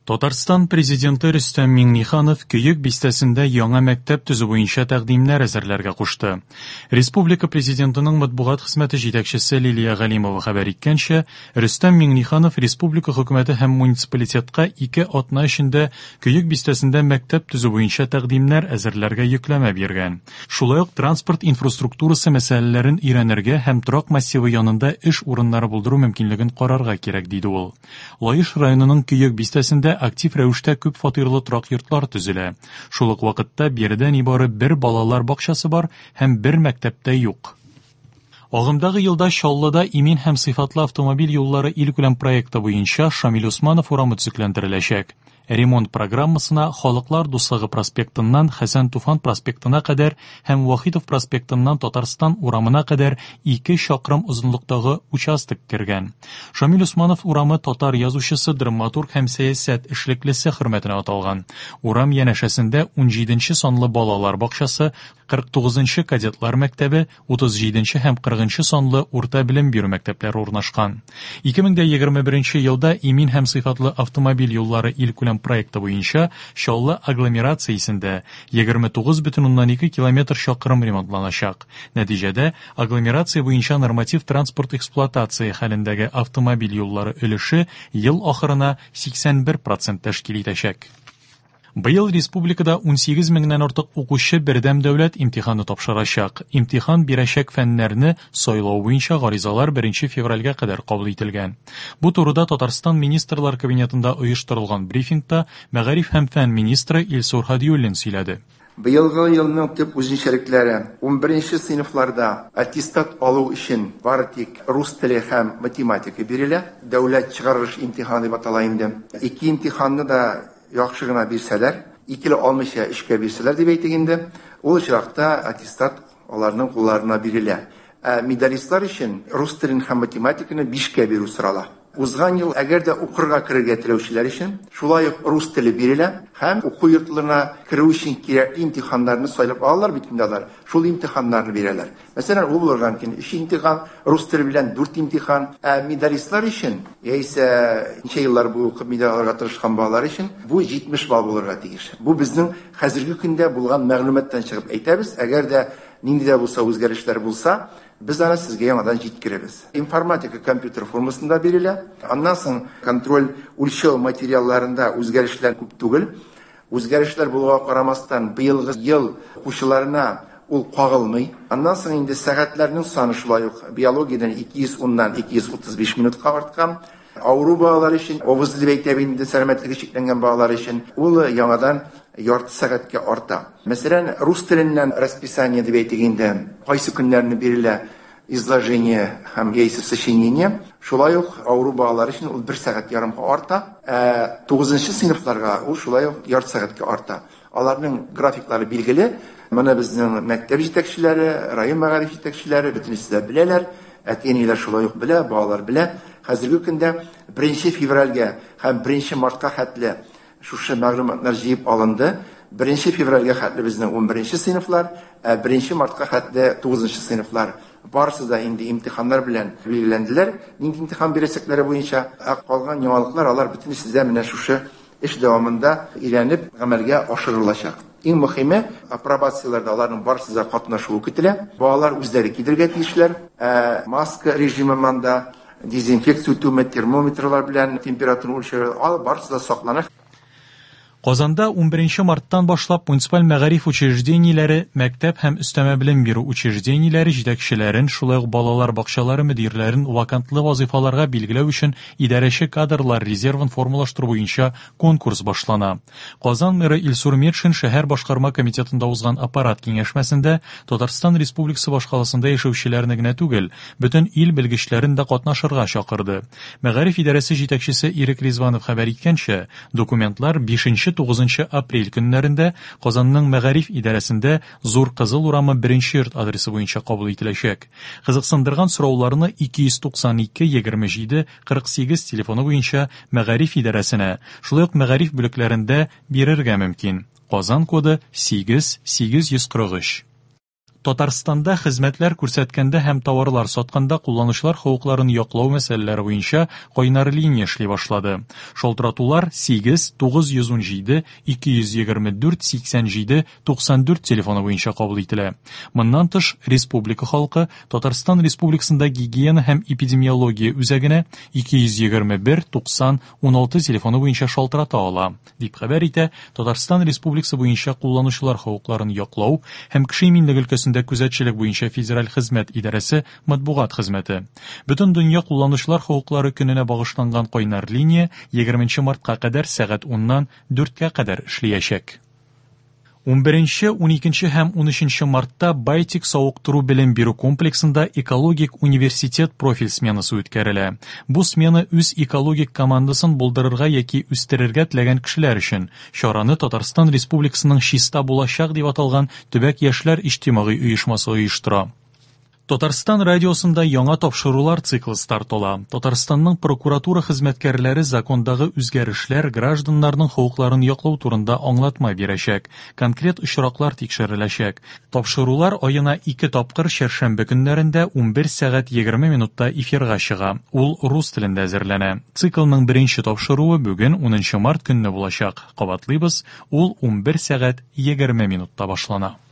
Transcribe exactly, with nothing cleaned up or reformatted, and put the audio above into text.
Татарстан Президенты Рөстәм Миңнеханов Көек бистәсендә яңа мәктәп төзү буенча тәкъдимнәр әзерләргә кушты. Республика Президентының матбугат хезмәте җитәкчесе Лилия Галимова хәбәр иткәнчә, Рөстәм Миңнеханов республика хөкүмәте һәм муниципалитетка ике атна эчендә Көек бистәсендә мәктәп төзү буенча тәкъдимнәр әзерләргә йөкләмә биргән. Шулай ук транспорт инфраструктурасы мәсьәләләрен өйрәнергә һәм торак массивы янында эш урыннары булдыру мөмкинлеген карарга кирәк, диде ул. Лаеш районының Көек бистәсендә актив рәвештә күп фатирлы торак йортлар төзелә. Шул ук вакытта биредә нибары бер балалар бакчасы бар һәм бер мәктәптә юк. Агымдагы елда Чаллыда имин һәм сыйфатлы автомобиль юллары илкүләм проекты буенча Шамил Усманов урамы төзекләндереләчәк. Ремонт программасына Халыклар дуслыгы проспектыннан Хәсән Туфан проспектына кадәр һәм Вахитов проспектыннан Татарстан урамына кадәр ике чакрым озынлыктагы участок кергән. Шамил Усманов урамы татар язучысы, драматург һәм сәясәт эшлеклесе хөрмәтенә аталган. Урам янәшәсендә унҗиденче санлы балалар бакчасы, кырык тугызынчы кадетлар мәктәбе, утыз җиденче һәм кырыгынчы санлы урта белем бирү мәктәпләре урнашкан. Ике мең дә егерме беренче елда имин һәм сыйфатлы автомобиль юллары илкүләм проекты буенча Чаллы агломерациясендә егерме тугыз бөтен уннан ике километр чакрым ремонтланачак. Нәтиҗәдә агломерация буенча норматив транспорт эксплуатация хәлендәге автомобиль юллары өлеше ел ахырына сиксән бер процент тәшкил итәчәк. Быел республикада унсигез меңнән артык укучы бердәм дәүләт имтиханы тапшырачак. Имтихан бирәчәк фәннәрне сайлау буенча гаризалар беренче февральгә кадәр кабул ителгән. Бу турыда Татарстан Министрлар Кабинетында оештырылган брифингта мәгариф һәм фән министры Илсур Һадиуллин сөйләде. Быелгы елның төп үзенчәлекләре: унберенче сыйныфларда аттестат алу өчен бары тик рус теле һәм математика бирелә. Дәүләт чыгарылыш имтиханы дип атала инде. Ике имтиханны да яхшы гына бирсәләр, икеле алмыйча өчкә бирсәләр дип әйтик инде, ул очракта аттестат аларның кулларына бирелә. Ә медалистлар өчен рус телен һәм математиканы бишкә бирү сорала. Узган ел әгәр дә укырга керергә теләүчеләр өчен шулай ук рус теле бирелә һәм уку йортларына керү өчен кирәкле имтиханнарны сайлап алалар бит инде алар. Шул имтиханнарны бирәләр. Мәсәлән, ул булырга мөмкин өч имтихан, рус теле белән дүрт имтихан. Ә медалистлар өчен, яисә ничә еллар буе укып медаль алырга тырышкан балалар өчен бу җитмеш балл булырга тиеш. Бу безнең хәзерге көндә булган мәгълүматтан чыгып әйтәбез. Әгәр дә нинди дә булса үзгәрешләр булса, без аны сезгә яңадан җиткерәбез. Информатика компьютер формасында бирелә. Аннан соң контроль үлчәү материалларында үзгәрешләр күп түгел. Үзгәрешләр булуга карамастан, быелгы ел укучыларына ул кагылмый. Аннан соң инде сәгатьләрнең саны шулай ук биологиядән ике йөз уннан ике йөз утыз биш минутка арткан. Авыру балалар өчен, авыз дип әйтәбез инде, сәламәтлеге чикләнгән балалар өчен ул яңадан ярты сәгатькә арта. Мәсәлән, рус теленнән расписание дип әйтик инде, кайсы көннәрне бирелә изложение һәм яисә сочинение. Шулай ук авыру балалар өчен ул бер сәгать ярымга арта. Ә тугызынчы сыйныфларга ул шулай ук ярты сәгатькә арта. Аларның графиклары билгеле. Моны безнең мәктәп җитәкчеләре, район мәгариф җитәкчеләре бөтенесе дә беләләр. Әти-әниләр шулай ук белә, балалар белә. Хәзерге көндә беренче февральгә һәм беренче мартка хәтле шушы мәгълүматлар җыеп алынды. Беренче февральгә хәтле безнең унберенче сыйныфлар, ә беренче мартка хәтле тугызынчы сыйныфлар. Барысы да инде имтиханнар белән билгеләнделәр. Нинди имтихан бирәчәкләре буенча, ә калган яңалыклар алар бөтенесе дә менә шушы эш дәвамында өйрәнеп гамәлгә ашырылачак. Иң мөһиме, апробацияләрдә аларның барысы да катнашуы көтелә. Балалар үзләре килергә тиешләр. Ә маска режимы монда, дезинфекция үтүме, термометрлар белән температура үлчәү, алар барысы да саклана. Казанда унберенче марттан башлап муниципаль мәгариф учреждениеләре, мәктәп һәм өстәмә белем бирү учреждениеләре җитәкчеләрен, шулай ук балалар бакчалары мөдирләрен вакантлы вазифаларга билгеләү өчен идарәче кадрлар резервын формалаштыру буенча конкурс башлана. Казан мэры Илсур Метшин шәһәр башкарма комитетында узган аппарат киңәшмәсендә Татарстан Республикасы башкаласында яшәүчеләрне генә түгел, бөтен ил белгечләрен дә катнашырга чакырды. Мәгариф идарәсе җитәкчесе Ирек Ризванов хәбәр иткәнчә, документлар бишенче тугызынчы апрель көннәрендә Казанның мәгариф идарәсендә Зур Кызыл урамы беренче йорт адресы буенча кабул ителәчәк. Кызыксындырган сорауларны ике йөз туксан ике егерме җиде кырык сигез телефоны буенча мәгариф идарәсенә, шулай ук мәгариф бүлекләрендә бирергә мөмкин. Казан коды сигез сигез йөз кырык өч. Татарстанда хезмәтләр күрсәткәндә һәм товарлар сатканда кулланучылар хокукларын яклау мәсьәләләре буенча кайнар линия эшли башлады. Шалтыратулар сигез тугыз йөз унҗиде ике йөз егерме дүрт сиксән җиде туксан дүрт телефоны буенча кабул ителә. Моннан тыш, республика халкы Татарстан Республикасында гигиена һәм эпидемиология үзәгенә ике йөз егерме бер туксан уналты телефоны буенча шалтырата ала, дип хәбәр итә Татарстан Республикасы буенча кулланучылар хокукларын яклау һәм кеше иминлеге өлкәсендә күзәтчелек буенча федераль хезмәт идарәсе матбугат хезмәте. Бөтен дөнья кулланучылар хокуклары көненә багышланган кайнар линия егерменче мартка кадәр сәгать уннан дүрткә кадәр эшләячәк. Унберенче, уникенче һәм унөченче мартта Байтик савыктыру белем бирү комплексында экологик университет профиль сменасы үткәрелә. Бу смена үз экологик командасын булдырырга яки үстерергә теләгән кешеләр өчен. Чараны Татарстан Республикасының Чиста булачак дип аталган төбәк яшьләр иҗтимагый оешмасы оештыра. Татарстан радиосында яңа тапшырулар циклы старт ала. Татарстанның прокуратура хезмәткәрләре закондагы үзгәрешләр гражданнарның хокукларын яклау турында аңлатма бирәчәк. Конкрет очраклар тикшереләчәк. Тапшырулар аена ике тапкыр чәршәмбе көннәрендә унбер сәгать егерме минутта эфирга чыга. Ул рус телендә әзерләнә. Циклның беренче тапшыруы бүген унынчы март көнне булачак. Кабатлыйбыз, ул унбер сәгать егерме минутта башлана.